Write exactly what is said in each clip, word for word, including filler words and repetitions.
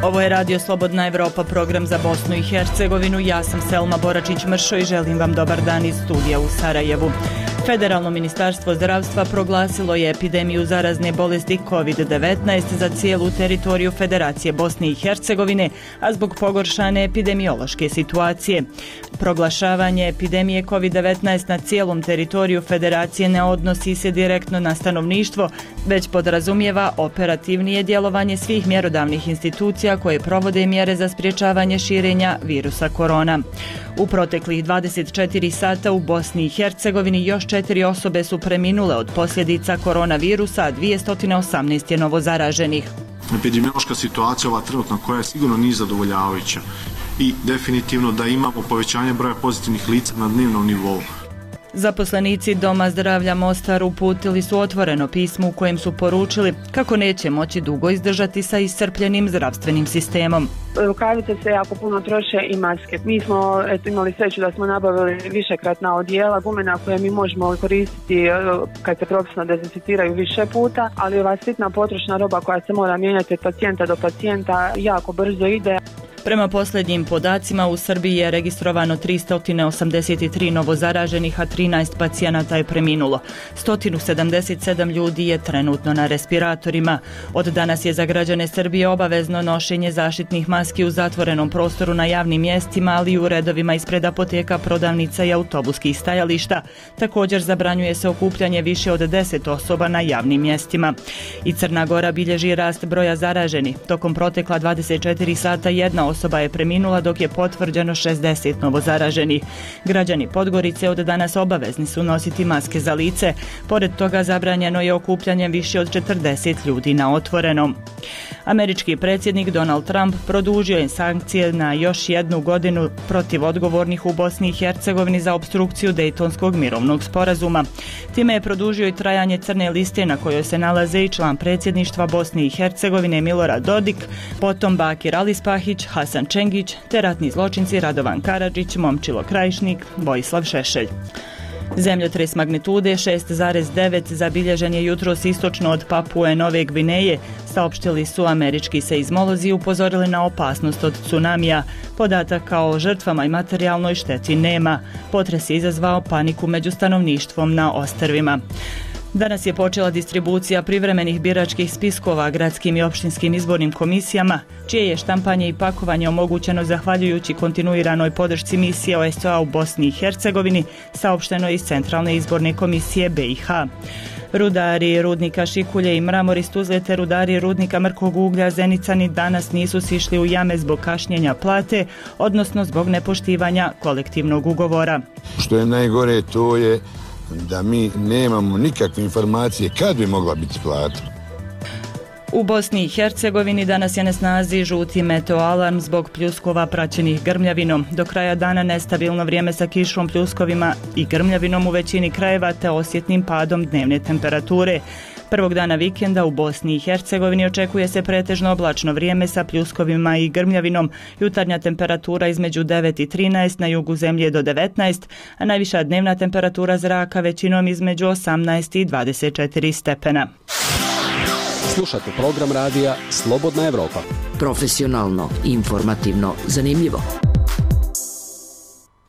Ovo je Radio Slobodna Evropa, program za Bosnu i Hercegovinu. Ja sam Selma Boračić-Mršo i želim vam dobar dan iz studija u Sarajevu. Federalno ministarstvo zdravstva proglasilo je epidemiju zarazne bolesti kovid devetnaest za cijelu teritoriju Federacije Bosne i Hercegovine, a zbog pogoršane epidemiološke situacije. Proglašavanje epidemije kovid devetnaest na cijelom teritoriju Federacije ne odnosi se direktno na stanovništvo, već podrazumijeva operativnije djelovanje svih mjerodavnih institucija koje provode mjere za sprječavanje širenja virusa korona. U proteklih dvadeset četiri sata u Bosni i Hercegovini još četiri osobe su preminule od posljedica koronavirusa, a dvjesto osamnaest je novozaraženih. Epidemiološka situacija ova trenutna koja je sigurno nije zadovoljavajuća i definitivno da imamo povećanje broja pozitivnih lica na dnevnom nivou. Zaposlenici Doma zdravlja Mostar uputili su otvoreno pismo u kojem su poručili kako neće moći dugo izdržati sa iscrpljenim zdravstvenim sistemom. Rukavice se jako puno troše i maske. Mi smo eto, imali sreću da smo nabavili višekratna odijela, gumena koje mi možemo koristiti kad se profesionalno dezinficiraju više puta, ali ova sitna potrošna roba koja se mora mijenjati od pacijenta do pacijenta jako brzo ide. Prema posljednjim podacima u Srbiji je registrovano tristo osamdeset tri novozaraženih, a trinaest pacijenata je preminulo. sto sedamdeset sedam ljudi je trenutno na respiratorima. Od danas je za građane Srbije obavezno nošenje zaštitnih maski u zatvorenom prostoru na javnim mjestima, ali i u redovima ispred apoteka, prodavnica i autobuskih stajališta. Također zabranjuje se okupljanje više od deset osoba na javnim mjestima. I Crna Gora bilježi rast broja zaraženih. Tokom protekla dvadeset četiri sata jedna osoba je preminula, dok je potvrđeno šezdeset novozaraženih. Građani Podgorice od danas obavezni su nositi maske za lice. Pored toga zabranjeno je okupljanje više od četrdeset ljudi na otvorenom. Američki predsjednik Donald Trump produžio je sankcije na još jednu godinu protiv odgovornih u Bosni i Hercegovini za opstrukciju Dejtonskog mirovnog sporazuma. Time je produžio i trajanje crne liste na kojoj se nalaze i član predsjedništva Bosne i Hercegovine Milorad Dodik, potom Bakir Alispahić, Hasan Čengić te ratni zločinci Radovan Karadžić, Momčilo Krajišnik, Vojislav Šešelj. Zemljotres magnitude šest zarez devet zabilježen je jutros istočno od Papue Nove Gvineje, saopštili su američki seizmolozi i upozorili na opasnost od tsunamija. Podataka o žrtvama i materijalnoj šteti nema. Potres je izazvao paniku među stanovništvom na ostrvima. Danas je počela distribucija privremenih biračkih spiskova gradskim i opštinskim izbornim komisijama, čije je štampanje i pakovanje omogućeno zahvaljujući kontinuiranoj podršci misije O S C E-a u Bosni i Hercegovini, saopšteno iz Centralne izborne komisije B i H. Rudari rudnika Šikulje i Mramor iz Tuzle te rudari rudnika Mrkog uglja Zenicani danas nisu sišli u jame zbog kašnjenja plate, odnosno zbog nepoštivanja kolektivnog ugovora. Što je najgore, to je da mi nemamo nikakve informacije kad bi mogla biti plata. U Bosni i Hercegovini danas je na snazi žuti meteoalarm zbog pljuskova praćenih grmljavinom. Do kraja dana nestabilno vrijeme sa kišom, pljuskovima i grmljavinom u većini krajeva te osjetnim padom dnevne temperature. Prvog dana vikenda u Bosni i Hercegovini očekuje se pretežno oblačno vrijeme sa pljuskovima i grmljavinom. Jutarnja temperatura između devet i trinaest, na jugu zemlje do devetnaest, a najviša dnevna temperatura zraka većinom između osamnaest i dvadeset četiri stepena. Slušate program radija Slobodna Evropa. Profesionalno, informativno, zanimljivo.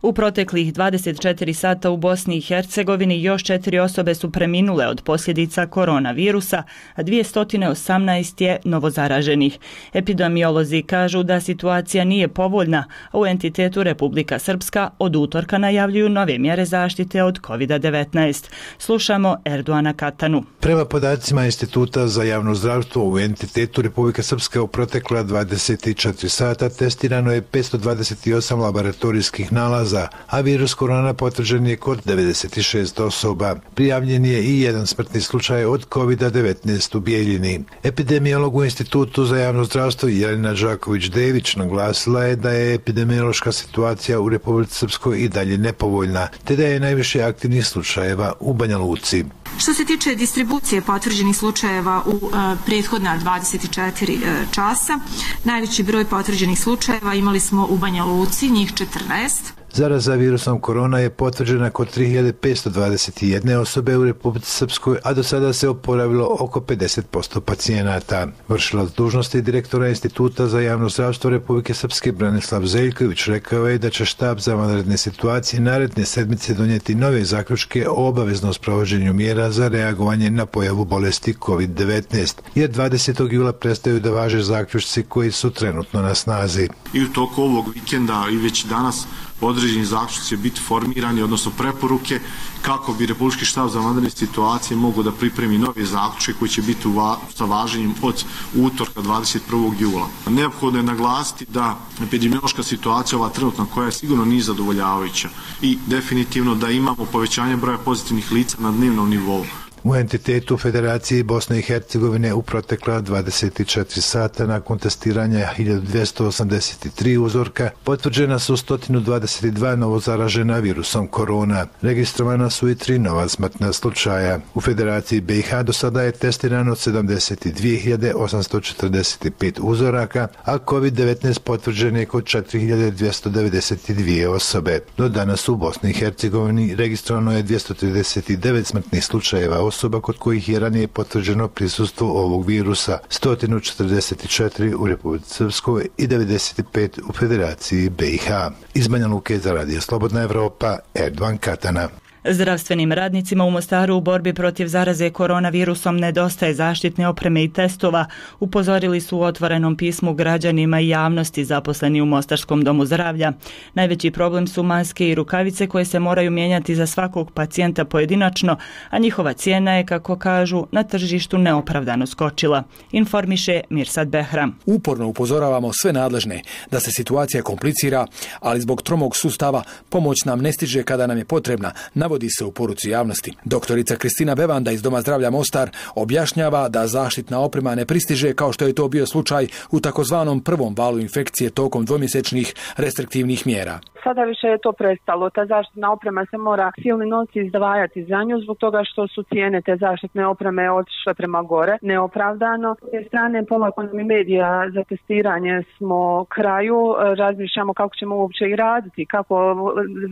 U proteklih dvadeset četiri sata u Bosni i Hercegovini još četiri osobe su preminule od posljedica koronavirusa, a dvjesto osamnaest je novozaraženih. Epidemiolozi kažu da situacija nije povoljna, a u entitetu Republika Srpska od utorka najavljuju nove mjere zaštite od kovid devetnaest. Slušamo Erdoana Katanu. Prema podacima Instituta za javno zdravstvo u entitetu Republika Srpska u protekla dvadeset četiri sata testirano je petsto dvadeset osam laboratorijskih nalaza, a virus korona potvrđen je kod devedeset šest osoba. Prijavljen je i jedan smrtni slučaj od kovid devetnaest u Bijeljini. Epidemiolog u Institutu za javno zdravstvo Jelena Đaković-Dević naglasila je da je epidemiološka situacija u Republici Srpskoj i dalje nepovoljna, te da je najviše aktivnih slučajeva u Banja Luci. Što se tiče distribucije potvrđenih slučajeva u uh, prethodna dvadeset četiri uh, časa, najveći broj potvrđenih slučajeva imali smo u Banja Luci, njih četrnaest. Zaraza virusom korona je potvrđena kod tri hiljade petsto dvadeset jedne osobe u Republici Srpskoj, a do sada se oporavilo oko pedeset posto pacijenata. Vršilac dužnosti direktora Instituta za javno zdravstvo Republike Srpske Branislav Zeljković rekao je da će štab za vanredne situacije naredne sedmice donijeti nove zaključke o obaveznom sprovođenju mjera za reagovanje na pojavu bolesti kovid devetnaest, jer dvadesetog jula prestaju da važe zaključci koji su trenutno na snazi. I u toku ovog vikenda i već danas određeni zaključci će biti formirani, odnosno preporuke kako bi Republički štab za vanredne situacije mogao da pripremi nove zaključke koji će biti va sa važenjem od utorka dvadeset prvog jula. Neophodno je naglasiti da epidemiološka situacija ova trenutna koja je sigurno nije zadovoljavajuća i definitivno da imamo povećanje broja pozitivnih lica na dnevnom nivou. U entitetu Federacije Bosne i Hercegovine u protekla dvadeset četiri sata nakon testiranja hiljadu dvjesto osamdeset tri uzorka potvrđena su sto dvadeset dva novozaražena virusom korona. Registrovana su i tri nova smrtna slučaja. U Federaciji B i H do sada je testirano sedamdeset dvije hiljade osamsto četrdeset pet uzoraka, a kovid devetnaest potvrđen je kod četiri hiljade dvjesto devedeset dvije osobe. Do danas u Bosni i Hercegovini registrovano je dvjesto trideset devet smrtnih slučajeva osoba kod kojih je ranije potvrđeno prisustvo ovog virusa, sto četrdeset četiri u Republici Srpskoj i devedeset pet u Federaciji B i H. Iz Banja Luke za Radio Slobodna Evropa, Erdovan Katana. Zdravstvenim radnicima u Mostaru u borbi protiv zaraze koronavirusom nedostaje zaštitne opreme i testova, upozorili su u otvorenom pismu građanima i javnosti zaposleni u Mostarskom domu zdravlja. Najveći problem su maske i rukavice koje se moraju mijenjati za svakog pacijenta pojedinačno, a njihova cijena je, kako kažu, na tržištu neopravdano skočila. Informiše Mirsad Behram. Uporno upozoravamo sve nadležne da se situacija komplicira, ali zbog tromog sustava pomoć nam ne stiže kada nam je potrebna, navodi se u poruci javnosti. Doktorica Kristina Bevanda iz Doma zdravlja Mostar objašnjava da zaštitna oprema ne pristiže kao što je to bio slučaj u takozvanom prvom valu infekcije tokom dvomjesečnih restriktivnih mjera. Sada više je to prestalo. Ta zaštitna oprema se mora silni novci izdvajati za nju zbog toga što su cijene te zaštitne opreme otišle prema gore, neopravdano. S te strane polako nam i medija za testiranje smo kraju, razmišljamo kako ćemo uopće i raditi, kako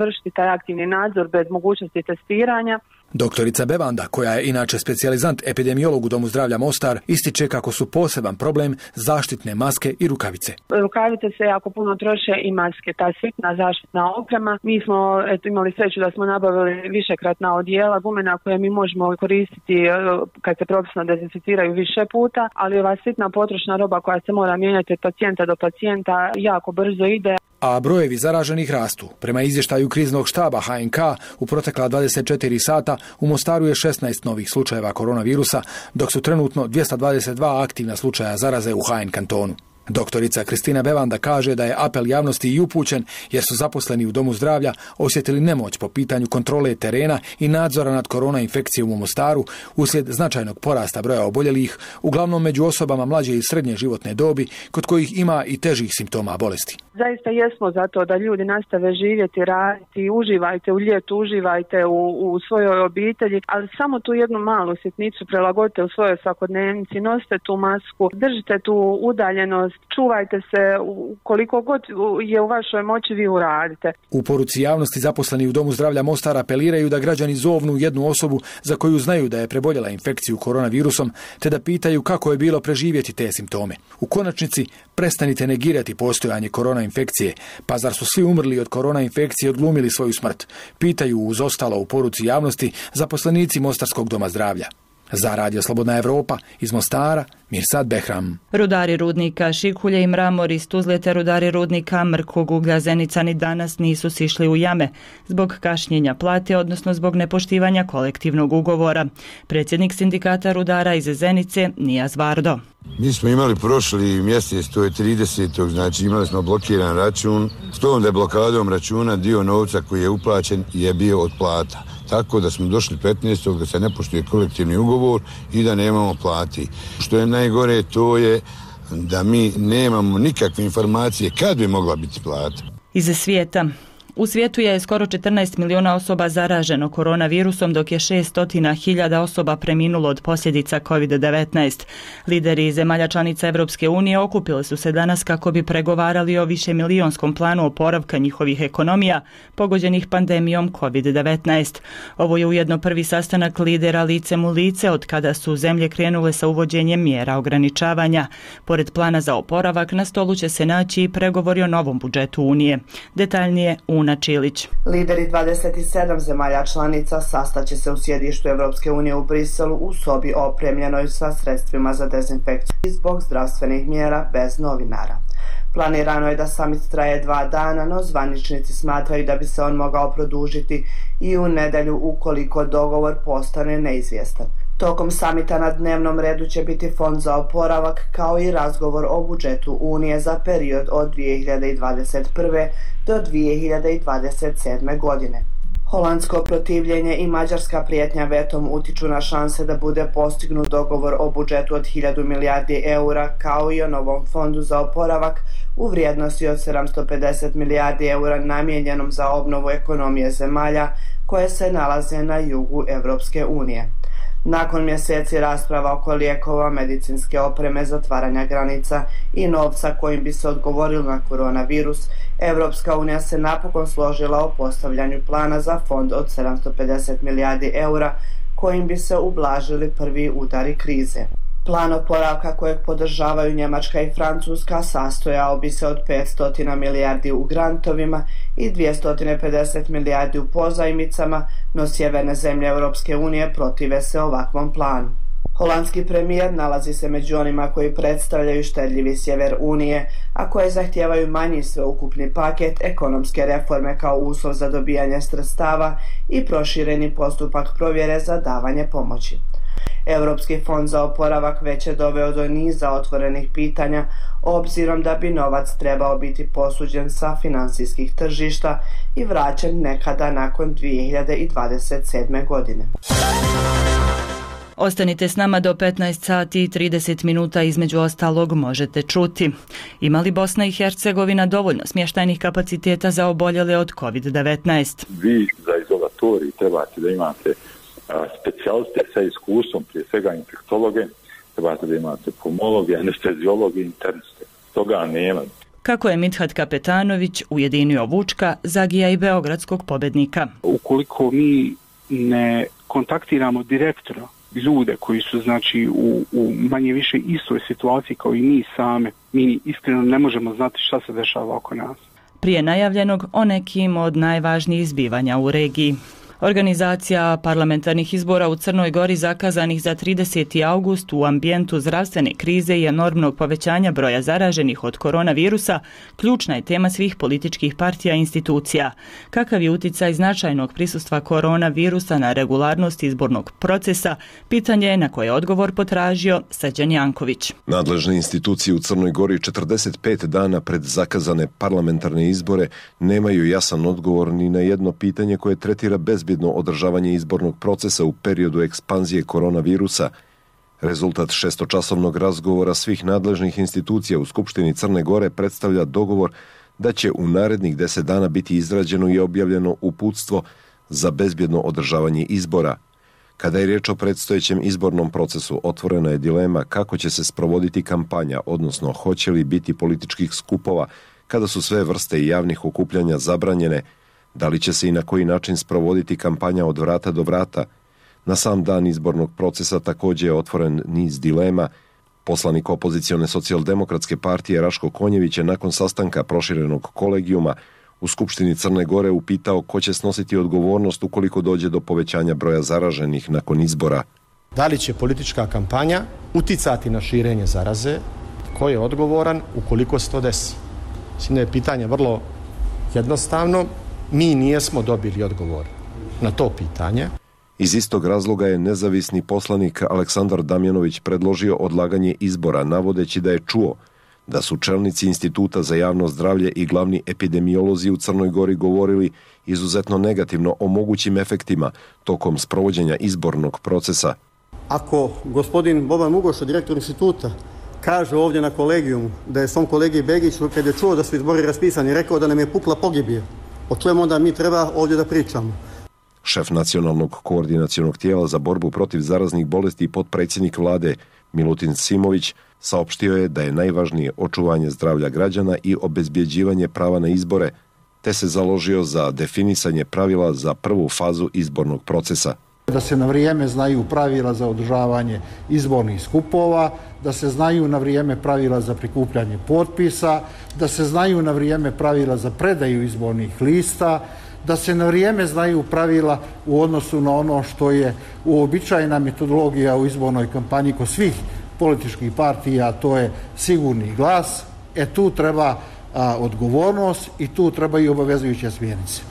vršiti taj aktivni nadzor bez mogućnosti testiranja. Doktorica Bevanda, koja je inače specijalizant epidemiolog u Domu zdravlja Mostar, ističe kako su poseban problem zaštitne maske i rukavice. Rukavice se jako puno troše i maske, ta sitna zaštitna oprema. Mi smo eto, imali sreću da smo nabavili višekratna odijela, gumena koje mi možemo koristiti kad se profesionalno dezinficiraju više puta, ali ova sitna potrošna roba koja se mora mijenjati od pacijenta do pacijenta jako brzo ide. A brojevi zaraženih rastu. Prema izvještaju kriznog štaba H N K u protekla dvadeset četiri sata u Mostaru je šesnaest novih slučajeva koronavirusa, dok su trenutno dvjesto dvadeset dva aktivna slučaja zaraze u H N kantonu. Doktorica Kristina Bevanda kaže da je apel javnosti i upućen jer su zaposleni u Domu zdravlja osjetili nemoć po pitanju kontrole terena i nadzora nad korona infekcijom u Mostaru uslijed značajnog porasta broja oboljelih, uglavnom među osobama mlađe i srednje životne dobi, kod kojih ima i težih simptoma bolesti. Zaista jesmo za to da ljudi nastave živjeti, raditi, uživajte u ljetu, uživajte u, u svojoj obitelji, ali samo tu jednu malu sitnicu prilagodite u svojoj svakodnevnici, nosite tu masku, držite tu udaljenost, čuvajte se, koliko god je u vašoj moći vi uradite. U poruci javnosti zaposleni u Domu zdravlja Mostar apeliraju da građani zovnu jednu osobu za koju znaju da je preboljela infekciju koronavirusom, te da pitaju kako je bilo preživjeti te simptome. U konačnici, prestanite negirati postojanje korona infekcije, pa zar su svi umrli od korona infekcije odglumili svoju smrt? Pitaju uz ostalo u poruci javnosti zaposlenici Mostarskog doma zdravlja. Za Radio Slobodna Evropa iz Mostara, Mirsad Behram. Rudari rudnika Šikulje i Mramor iz Tuzle te rudari rudnika Mrkog uglja Zenica ni danas nisu sišli u jame zbog kašnjenja plate, odnosno zbog nepoštivanja kolektivnog ugovora. Predsjednik sindikata rudara iz Zenice, Nijaz Vardo. Mi smo imali prošli mjesec, to je tridesetog znači imali smo blokiran račun. S tom da je blokadom računa dio novca koji je uplaćen je bio od plata. Tako da smo došli petnaestog da se ne poštuje kolektivni ugovor i da nemamo plati. Što je najgore, to je da mi nemamo nikakve informacije kad bi mogla biti plata. Iz svijeta. U svijetu je skoro četrnaest miliona osoba zaraženo koronavirusom, dok je šessto hiljada osoba preminulo od posljedica kovid devetnaest. Lideri zemalja članica Europske unije okupili su se danas kako bi pregovarali o višemilijonskom planu oporavka njihovih ekonomija pogođenih pandemijom kovid devetnaest. Ovo je ujedno prvi sastanak lidera licem u lice od kada su zemlje krenule sa uvođenjem mjera ograničavanja. Pored plana za oporavak, na stolu će se naći i pregovori o novom budžetu Unije. Detaljnije Una Čilić. Lideri dvadeset sedam zemalja članica sastaće se u sjedištu Europske unije u Briselu u sobi opremljenoj sa sredstvima za dezinfekciju zbog zdravstvenih mjera bez novinara. Planirano je da samit traje dva dana, no zvaničnici smatraju da bi se on mogao produžiti i u nedjelju ukoliko dogovor postane neizvjestan. Tokom samita na dnevnom redu će biti fond za oporavak kao i razgovor o budžetu Unije za period od dvije hiljade dvadeset prve. do dvije hiljade dvadeset sedme. godine. Holandsko protivljenje i mađarska prijetnja vetom utiču na šanse da bude postignut dogovor o budžetu od hiljadu milijardi eura kao i o novom fondu za oporavak u vrijednosti od sedamsto pedeset milijardi eura namijenjenom za obnovu ekonomije zemalja koje se nalaze na jugu Europske unije. Nakon mjeseci rasprava oko lijekova, medicinske opreme, zatvaranja granica i novca kojim bi se odgovorilo na koronavirus, Europska unija se napokon složila o postavljanju plana za fond od sedamsto pedeset milijardi eura kojim bi se ublažili prvi udari krize. Plan oporavka kojeg podržavaju Njemačka i Francuska sastojao bi se od petsto milijardi u grantovima i dvjesto pedeset milijardi u pozajmicama, no sjeverne zemlje Europske unije protive se ovakvom planu. Holandski premijer nalazi se među onima koji predstavljaju štedljivi sjever Unije, a koje zahtijevaju manji sveukupni paket, ekonomske reforme kao uslov za dobijanje sredstava i prošireni postupak provjere za davanje pomoći. Europski fond za oporavak već je doveo do niza otvorenih pitanja, obzirom da bi novac trebao biti posuđen sa financijskih tržišta i vraćen nekada nakon dvije hiljade dvadeset sedme. godine. Ostanite s nama do petnaest sati i trideset minuta, između ostalog možete čuti. Ima li Bosna i Hercegovina dovoljno smještajnih kapaciteta za oboljele od kovid devetnaest? Vi za izolatorij trebate da imate specijaliste sa iskustvom, prije svega infektologe, trebate da imate pulmologe, anesteziologe, interniste. Toga nema. Kako je Midhat Kapetanović ujedinio Vučka, Zagija i beogradskog pobednika? Ukoliko mi ne kontaktiramo direktno ljude koji su znači u, u manje više istoj situaciji kao i mi same, mi iskreno ne možemo znati šta se dešava oko nas. Prije najavljenog o nekim od najvažnijih zbivanja u regiji. Organizacija parlamentarnih izbora u Crnoj Gori zakazanih za trideseti august u ambijentu zdravstvene krize i enormnog povećanja broja zaraženih od koronavirusa ključna je tema svih političkih partija i institucija. Kakav je uticaj značajnog prisustva koronavirusa na regularnost izbornog procesa, pitanje je na koje je odgovor potražio Srđan Janković. Nadležne institucije u Crnoj Gori četrdeset pet dana pred zakazane parlamentarne izbore nemaju jasan odgovor ni na jedno pitanje koje tretira bez bezbjedno održavanje izbornog procesa u periodu ekspanzije koronavirusa. Rezultat šestočasovnog razgovora svih nadležnih institucija u Skupštini Crne Gore predstavlja dogovor da će u narednih deset dana biti izrađeno i objavljeno uputstvo za bezbjedno održavanje izbora. Kada je riječ o predstojećem izbornom procesu, otvorena je dilema kako će se sprovoditi kampanja, odnosno hoće li biti političkih skupova kada su sve vrste javnih okupljanja zabranjene, da li će se i na koji način sprovoditi kampanja od vrata do vrata. Na sam dan izbornog procesa također je otvoren niz dilema. Poslanik opozicione socijaldemokratske partije Raško Konjević je nakon sastanka proširenog kolegijuma u Skupštini Crne Gore upitao ko će snositi odgovornost ukoliko dođe do povećanja broja zaraženih nakon izbora. Da li će politička kampanja uticati na širenje zaraze? Ko je odgovoran ukoliko se to desi? Mislim da je pitanje vrlo jednostavno. Mi nijesmo dobili odgovor na to pitanje. Iz istog razloga je nezavisni poslanik Aleksandar Damjanović predložio odlaganje izbora, navodeći da je čuo da su čelnici Instituta za javno zdravlje i glavni epidemiolozi u Crnoj Gori govorili izuzetno negativno o mogućim efektima tokom sprovođenja izbornog procesa. Ako gospodin Boban Mugoša, direktor instituta, kaže ovdje na kolegijumu da je svom kolegi Begiću, kad je čuo da su izbori raspisani, rekao da nam je pukla pogibija, o čemu onda mi treba ovdje da pričamo. Šef nacionalnog koordinacionog tijela za borbu protiv zaraznih bolesti i potpredsjednik vlade Milutin Simović saopštio je da je najvažnije očuvanje zdravlja građana i obezbjeđivanje prava na izbore, te se založio za definisanje pravila za prvu fazu izbornog procesa. Da se na vrijeme znaju pravila za održavanje izbornih skupova, da se znaju na vrijeme pravila za prikupljanje potpisa, da se znaju na vrijeme pravila za predaju izbornih lista, da se na vrijeme znaju pravila u odnosu na ono što je uobičajena metodologija u izbornoj kampanji kod svih političkih partija, a to je sigurni glas. E tu treba a, odgovornost i tu treba i obavezujuće smjernice.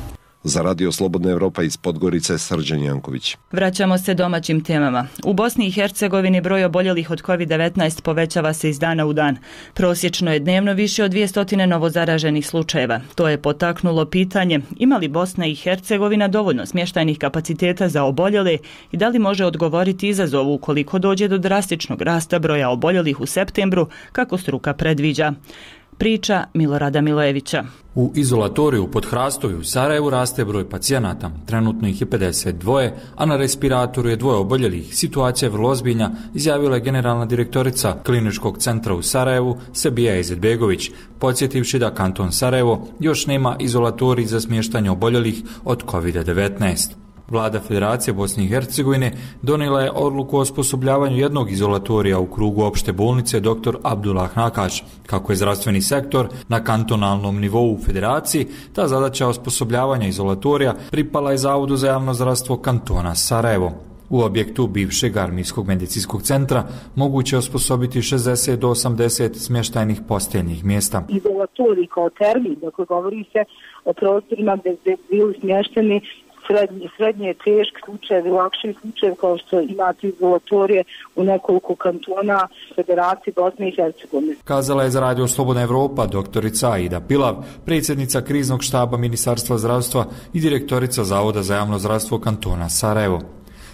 Za Radio Slobodna Evropa iz Podgorice, Srđan Janković. Vraćamo se domaćim temama. U Bosni i Hercegovini broj oboljelih od kovid devetnaest povećava se iz dana u dan. Prosječno je dnevno više od dvjesto novozaraženih slučajeva. To je potaknulo pitanje ima li Bosna i Hercegovina dovoljno smještajnih kapaciteta za oboljele i da li može odgovoriti izazovu ukoliko dođe do drastičnog rasta broja oboljelih u septembru, kako struka predviđa. Priča Milorada Milojevića. U izolatoriju pod Hrastovi u Sarajevu raste broj pacijenata. Trenutno ih je pedeset dva, a na respiratoru je dvoje oboljelih. Situacija je vrlo ozbiljna, izjavila je generalna direktorica Kliničkog centra u Sarajevu Sebija Izetbegović, podsjetivši da kanton Sarajevo još nema izolatorij za smještanje oboljelih od kovid devetnaest. Vlada Federacije Bosne i Hercegovine donijela je odluku o osposobljavanju jednog izolatorija u krugu opšte bolnice dr. Abdullah Nakaš. Kako je zdravstveni sektor na kantonalnom nivou u Federaciji, ta zadaća osposobljavanja izolatorija pripala je Zavodu za javno zdravstvo kantona Sarajevo. U objektu bivšeg armijskog medicinskog centra moguće osposobiti šezdeset do osamdeset smještajnih posteljnih mjesta. Izolatorij kao termin, dakle govori se o prostorima gdje su bili smješteni srednje, srednje teški slučajevi, lakši slučajevi kao što imate izolatorije u nekoliko kantona Federacije Bosne i Hercegovine. Kazala je za Radio Slobodna Evropa doktorica Aida Pilav, predsjednica kriznog štaba Ministarstva zdravstva i direktorica Zavoda za javno zdravstvo kantona Sarajevo.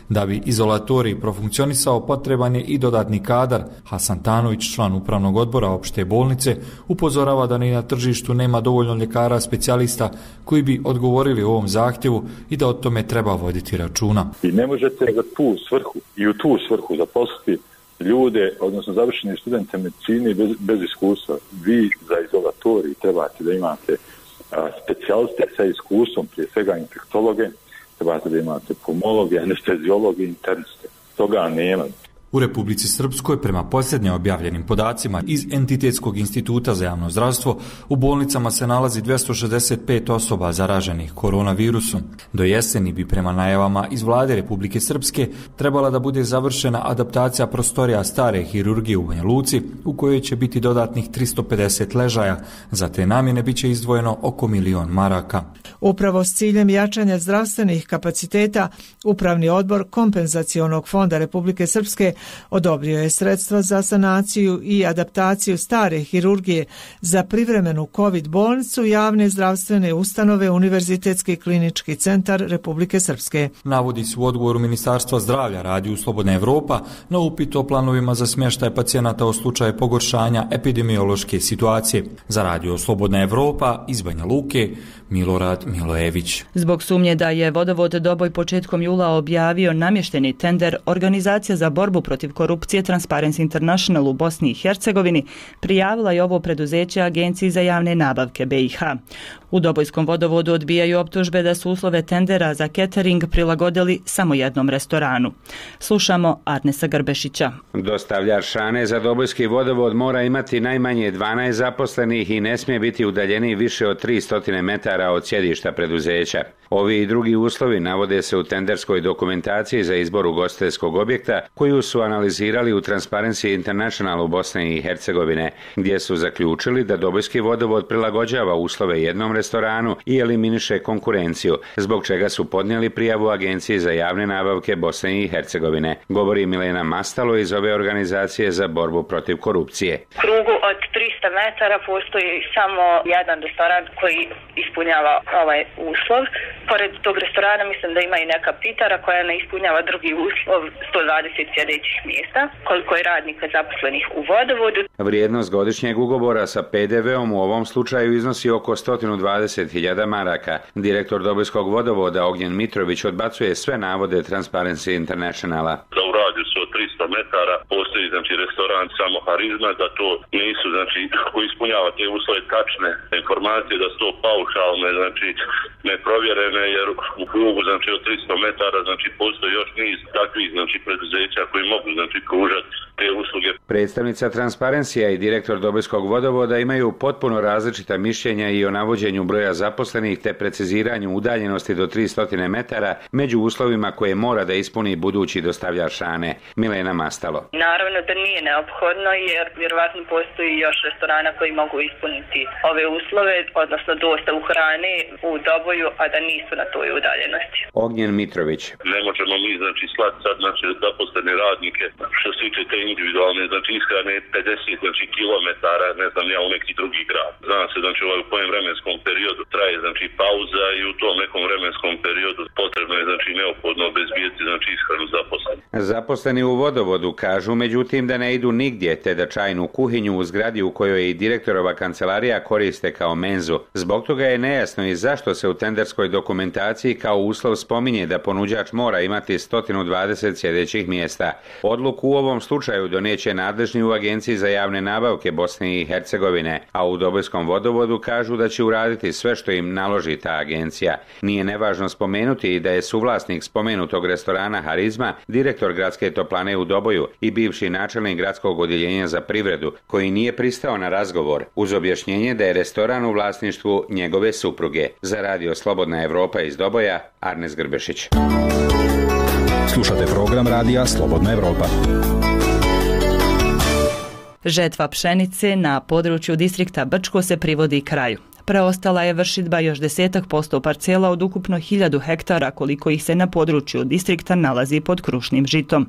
Da bi izolatorij profunkcionisao, potreban je i dodatni kadar. Hasan Tanović, član upravnog odbora opšte bolnice, upozorava da ni na tržištu nema dovoljno ljekara specijalista koji bi odgovorili ovom zahtjevu i da o tome treba voditi računa. I ne možete za tu svrhu i u tu svrhu zaposliti ljude, odnosno završeni studente medicine bez, bez iskustva. Vi za izolatorij trebate da imate a, specijaliste sa iskustvom, prije svega infektologe, trebate da imate pulmologe, anesteziologe, interniste. Toga nema. U Republici Srpskoj, prema posljednje objavljenim podacima iz Entitetskog instituta za javno zdravstvo, u bolnicama se nalazi dvjesto šezdeset pet osoba zaraženih koronavirusom. Do jeseni bi prema najavama iz vlade Republike Srpske trebala da bude završena adaptacija prostorija stare hirurgije u Banja Luci, u kojoj će biti dodatnih tristo pedeset ležaja. Za te namjene biće izdvojeno oko milion maraka. Upravo s ciljem jačanja zdravstvenih kapaciteta, Upravni odbor Kompenzacionog fonda Republike Srpske odobrio je sredstva za sanaciju i adaptaciju stare hirurgije za privremenu COVID bolnicu javne zdravstvene ustanove Univerzitetski klinički centar Republike Srpske. Navodi se u odgovoru Ministarstva zdravlja Radio Slobodna Evropa na upit o planovima za smještaj pacijenata u slučaju pogoršanja epidemiološke situacije. Za Radio Slobodna Evropa iz Banja Luke, Milorad Milojević. Zbog sumnje da je vodovod Doboj početkom jula objavio namješteni tender, Organizacija za borbu protiv korupcije Transparency International u Bosni i Hercegovini prijavila je ovo preduzeće Agenciji za javne nabavke B i H. U Dobojskom vodovodu odbijaju optužbe da su uslove tendera za catering prilagodili samo jednom restoranu. Slušamo Arnesa Grbešića. Dostavljač hrane za Dobojski vodovod mora imati najmanje dvanaest zaposlenih i ne smije biti udaljeniji više od tristo metara od sjedišta preduzeća. Ovi i drugi uslovi navode se u tenderskoj dokumentaciji za izbor ugostiteljskog objekta koju su analizirali u Transparency International u Bosni i Hercegovine, gdje su zaključili da Dobojski vodovod prilagođava uslove jednom restoranu i eliminiše konkurenciju, zbog čega su podnijeli prijavu Agenciji za javne nabavke Bosne i Hercegovine, govori Milena Mastalo iz ove organizacije za borbu protiv korupcije. U krugu od tristo metara postoji samo jedan restoran koji ispunjava ovaj uslov. Pored tog restorana mislim da ima i neka pitara koja ne ispunjava drugi uslov sto dvadeset sjedećih mjesta, koliko je radnika zaposlenih u vodovodu. Vrijednost godišnjeg ugovora sa P D V-om u ovom slučaju iznosi oko sto dvadeset hiljada maraka. Direktor Dobojskog vodovoda Ognjen Mitrović odbacuje sve navode Transparency Internationala. Da u radijusu od tristo metara postoji znači restoran samo Harizma, da to nisu znači koji ispunjava te uslove tačne informacije, da su to paušalne, znači neprovjerene, jer u krugu znači od tristo metara znači postoji još niz takvih znači preduzeća koji mogu znači pružati te usluge. Predstavnica Transparencija i direktor Dobojskog vodovoda imaju potpuno različita mišljenja i o navođenju broja zaposlenih te preciziranju udaljenosti do tristo metara među uslovima koje mora da ispuni budući dostavljač hrane. Milena Mastalo. Naravno da nije neophodno jer vjerovatno postoji još restorana koji mogu ispuniti ove uslove, odnosno dostavu hrane u Doboju, a da nisu na toj udaljenosti. Ognjen Mitrović. Ne možemo mi znači slati sad znači zaposlene radnike što se tiče te individualne znači ishrane pedeset znači kilometara, ne znam ja, u neki drugi grad. Znam se znači u kojem vremenskom periodu traje znači pauza i u tom nekom vremenskom periodu potrebno je znači neophodno obezbijeti znači ishranu zaposlenih. Zaposleni u vodovodu kažu međutim da ne idu nigdje te da čajnu kuhinju u zgradi u kojoj je i direktorova kancelarija koriste kao menzu. Zbog toga je nejasno i zašto se u tenderskoj dokumentaciji kao uslov spominje da ponuđač mora imati sto dvadeset sjedećih mjesta. Odluku u ovom slučaju doneće nadležni u Agenciji za javne nabavke Bosne i Hercegovine, a u Dobojskom vodovodu kažu da će uraditi sve što im naloži ta agencija. Nije nevažno spomenuti i da je suvlasnik spomenutog restorana Harizma direktor gradske toplane u Doboju i bivši načelnik gradskog odjeljenja za privredu, koji nije pristao na razgovor uz objašnjenje da je restoran u vlasništvu njegove supruge. Za radio Slobodna Evropa iz Doboja, Arnes Grbešić. Slušate program radija Slobodna Evropa. Žetva pšenice na području distrikta Brčko se privodi kraju. Preostala je vršidba još desetak posto parcela od ukupno hiljadu hektara koliko ih se na području distrikta nalazi pod krušnim žitom.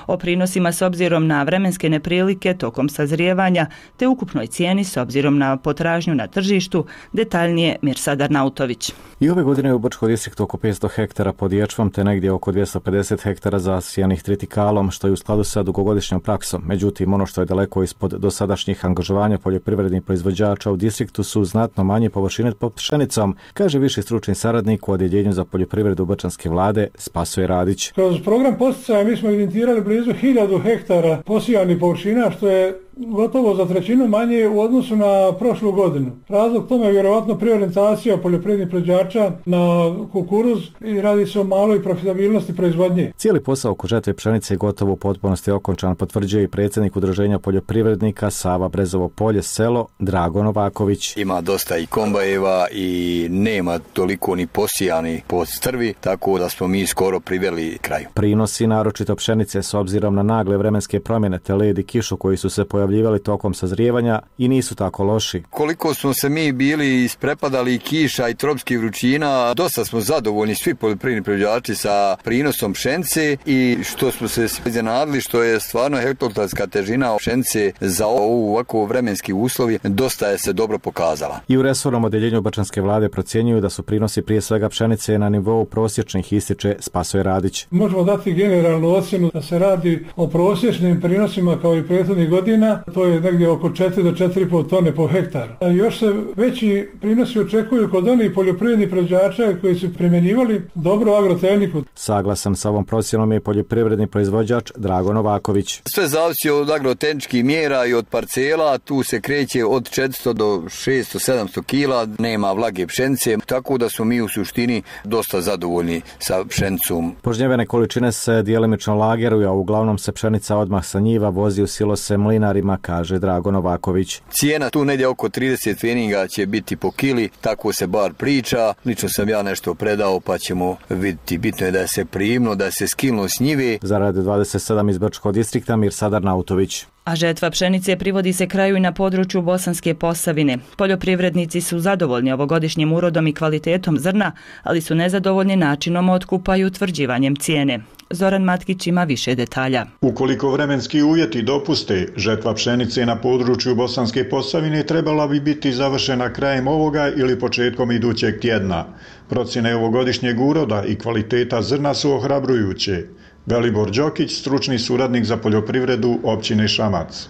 O prinosima s obzirom na vremenske neprilike tokom sazrijevanja te ukupnoj cijeni s obzirom na potražnju na tržištu detaljnije Mirsad Arnautović. I ove godine je u Brčko distriktu oko petsto hektara pod ječmom te negdje oko dvjesto pedeset hektara zasijanih tritikalom, što je u skladu sa dugogodišnjom praksom. Međutim, ono što je daleko ispod dosadašnjih angažovanja poljoprivrednih proizvođača u distriktu su znatno manje površine pod pšenicom, kaže viši stručni saradnik u Odjeljenju za poljoprivredu Brčanske vlade Spasoje Radić. Kroz program poticaja mi smo evidentirali blizu hiljadu hektara posijanih površina, što je gotovo za trećinu manje u odnosu na prošlu godinu. Razlog tome je vjerovatno preorijentacija poljoprivrednih proizvođača na kukuruz i radi se o maloj profitabilnosti proizvodnje. Cijeli posao oko žetve pšenice je gotovo u potpunosti okončan, potvrđuje i predsjednik Udruženja poljoprivrednika Sava Brezovo polje selo Drago Novaković. Ima dosta i kombajeva i nema toliko ni posijani pod strvi, tako da smo mi skoro priveli kraju. Prinosi naročito pšenice s obzirom na nagle vremenske promjene te led i kišu koji su se pojavljivali tokom sazrijevanja i nisu tako loši. Koliko smo se mi bili isprepadali kiša i tropskih vrućina, dosta smo zadovoljni svi poljoprivredni proizvođači sa prinosom pšenice i što smo se iznenadili što je stvarno hektarska težina pšenice za ovu ovako vremenski uslovi dosta je se dobro pokazala. I u resornom odjeljenju Brčanske vlade procjenjuju da su prinosi prije svega pšenice na nivou prosječnih, ističe Spasoje Radić. Možemo dati generalnu ocjenu da se radi o prosječnim prinosima kao i prethodnih godina, to je negdje oko četiri do četiri i pol tone po hektaru. A još se veći prinosi očekuju kod onih poljoprivrednih proizvođača koji su primjenjivali dobru agrotehniku. Saglasan sa ovom procjenom je poljoprivredni proizvođač Drago Novaković. Sve zavisi od agrotehničkih mjera i od parcela, tu se kreće od četiristo do šesto sedamsto kila, nema vlage pšenice, tako da smo mi u suštini dosta zadovoljni sa pšenicom. Požnjevene količine se djelimično lageruju, a uglavnom se pšenica odmah sa njiva vozi u silose mlinarima, kaže Drago Novaković. Cijena tu negdje oko trideset pfeniga će biti po kili, tako se bar priča. Lično sam ja nešto predao pa ćemo vidjeti. Bitno je da se primno, da se skilno s njive. Za Radio dvadeset sedam iz Brčkog distrikta Mirsad Arnautović. A žetva pšenice privodi se kraju i na području Bosanske Posavine. Poljoprivrednici su zadovoljni ovogodišnjim urodom i kvalitetom zrna, ali su nezadovoljni načinom otkupa i utvrđivanjem cijene. Zoran Matkić ima više detalja. Ukoliko vremenski uvjeti dopuste, žetva pšenice na području Bosanske Posavine trebala bi biti završena krajem ovoga ili početkom idućeg tjedna. Procjene ovogodišnjeg uroda i kvaliteta zrna su ohrabrujuće. Velibor Đokić, stručni suradnik za poljoprivredu općine Šamac.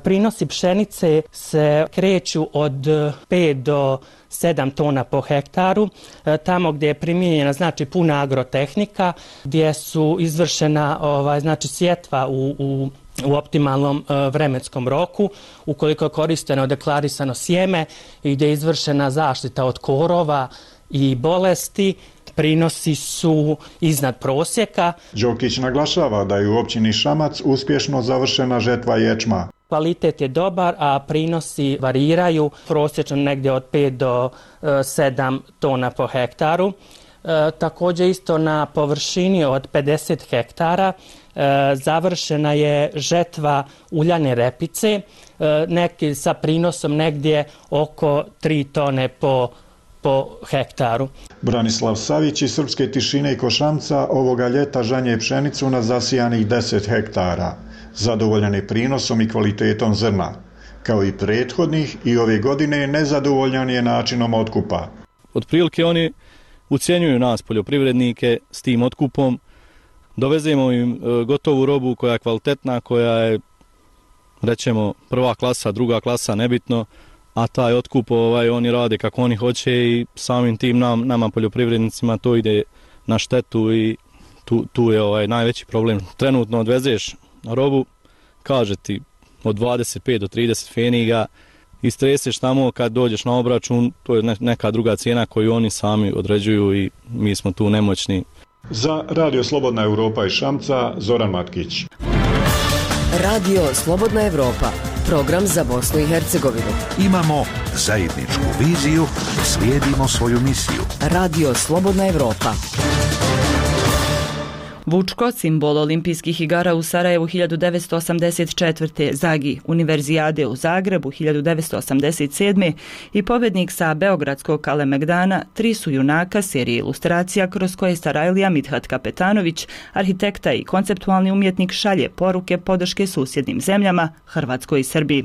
Prinosi pšenice se kreću od pet do sedam tona po hektaru, tamo gdje je primijenjena znači puna agrotehnika, gdje su izvršena ovaj, znači sjetva u, u u optimalnom uh, vremenskom roku, ukoliko je koristeno deklarisano sjeme i gdje je izvršena zaštita od korova i bolesti, prinosi su iznad prosjeka. Đokić naglašava da je u općini Šamac uspješno završena žetva ječma. Kvalitet je dobar, a prinosi variraju prosječno negdje od pet do sedam tona po hektaru. E, također isto na površini od pedeset hektara e, završena je žetva uljane repice, e, neki sa prinosom negdje oko tri tone po, po hektaru. Branislav Savić iz Srpske Tišine i Košamca ovoga ljeta žanje pšenicu na zasijanih deset hektara. Zadovoljan je prinosom i kvalitetom zrna. Kao i prethodnih i ove godine nezadovoljan je načinom otkupa. Otprilike oni ucjenjuju nas poljoprivrednike s tim otkupom, dovezemo im gotovu robu koja je kvalitetna, koja je, rećemo, prva klasa, druga klasa, nebitno, a taj otkup ovaj, oni rade kako oni hoće i samim tim nam, nama poljoprivrednicima to ide na štetu i tu, tu je ovaj najveći problem. Trenutno odvezeš robu, kaže ti od dvadeset pet do trideset feniga, istreseš tamo, kad dođeš na obračun, to je neka druga cijena koju oni sami određuju i mi smo tu nemoćni. Za Radio Slobodna Europa iz Šamca, Zoran Matkić. Radio Slobodna Europa, program za Bosnu i Hercegovinu. Imamo zajedničku viziju, slijedimo svoju misiju. Radio Slobodna Europa. Vučko, simbol olimpijskih igara u Sarajevu hiljadu devetsto osamdeset četvrte. Zagi, univerzijade u Zagrebu hiljadu devetsto osamdeset sedme i pobjednik sa Beogradskog Kalemegdana, tri su junaka serije ilustracija kroz koje Sarajlija Mithat Kapetanović, arhitekta i konceptualni umjetnik, šalje poruke podrške susjednim zemljama, Hrvatskoj i Srbiji.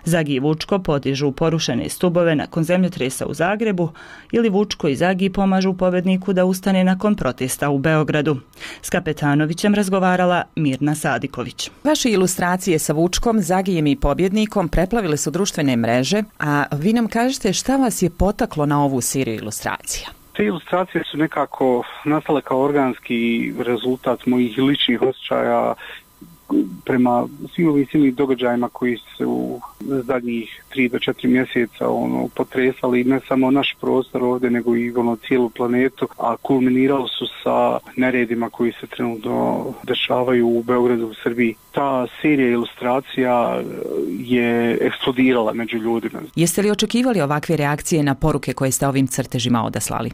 Zagi i Vučko podižu porušene stubove nakon zemljotresa u Zagrebu ili Vučko i Zagi pomažu pobjedniku da ustane nakon protesta u Beogradu. S Kapetanovićem razgovarala Mirna Sadiković. Vaše ilustracije sa Vučkom, Zagijem i pobjednikom preplavile su društvene mreže, a vi nam kažete šta vas je potaklo na ovu seriju ilustracija? Te ilustracije su nekako nastale kao organski rezultat mojih ličnih osjećaja prema svim ovim silnim događajima koji su zadnjih tri do četiri mjeseca ono, potresali ne samo naš prostor ovdje, nego i ono, cijelu planetu, a kulminirali su sa neredima koji se trenutno dešavaju u Beogradu, u Srbiji. Ta serija ilustracija je eksplodirala među ljudima. Jeste li očekivali ovakve reakcije na poruke koje ste ovim crtežima odaslali?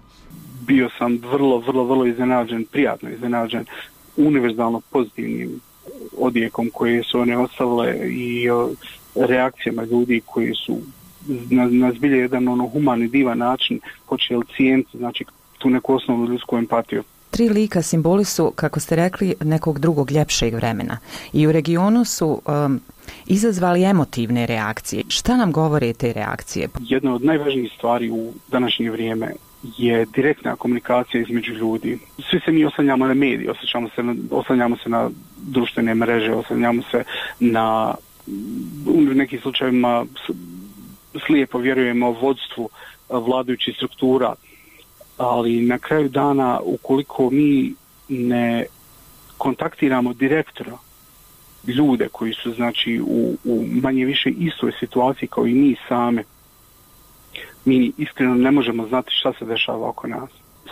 Bio sam vrlo, vrlo, vrlo iznenađen, prijatno iznenađen, univerzalno pozitivnim odjekom koje su one ostavile i o, reakcijama ljudi koji su na, na zbilje jedan ono humani, divan način počeli cijeniti znači, tu neku osnovnu ljudsku empatiju. Tri lika simboli su, kako ste rekli, nekog drugog ljepšeg vremena i u regionu su um, izazvali emotivne reakcije. Šta nam govore te reakcije? Jedna od najvažnijih stvari u današnje vrijeme je direktna komunikacija između ljudi. Svi se mi oslanjamo na medije, oslanjamo se na, oslanjamo se na društvene mreže, oslanjamo se na, u nekim slučajevima slijepo vjerujemo vodstvu vladajućih struktura, ali na kraju dana ukoliko mi ne kontaktiramo direktno ljude koji su znači u, u manje više istoj situaciji kao i mi same, mi iskreno ne možemo znati šta se dešava oko nas.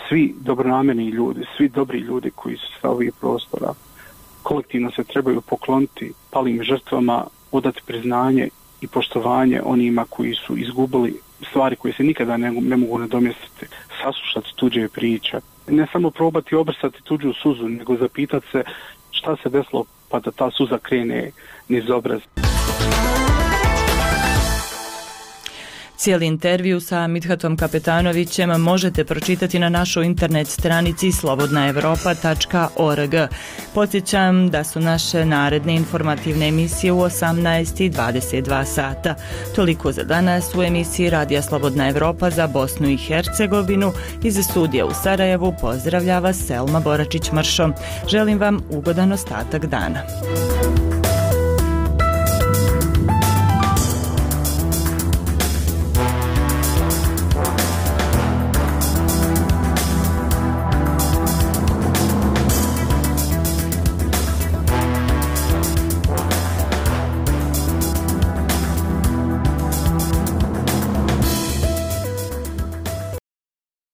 Svi dobronamjerni ljudi, svi dobri ljudi koji su sa ovih prostora, kolektivno se trebaju pokloniti palim žrtvama, odati priznanje i poštovanje onima koji su izgubili stvari koje se nikada ne, ne mogu nadomjestiti, saslušati tuđe priče. Ne samo probati obrsati tuđu suzu, nego zapitati se šta se desilo pa da ta suza krene niz obraz. Cijeli intervju sa Mithatom Kapetanovićem možete pročitati na našoj internet stranici slobodna europa tačka org. Podsjećam da su naše naredne informativne emisije u osamnaest i dvadeset dva sata. Toliko za danas u emisiji Radija Slobodna Europa za Bosnu i Hercegovinu. Iz studija u Sarajevu pozdravlja vas Selma Boračić-Mršo. Želim vam ugodan ostatak dana.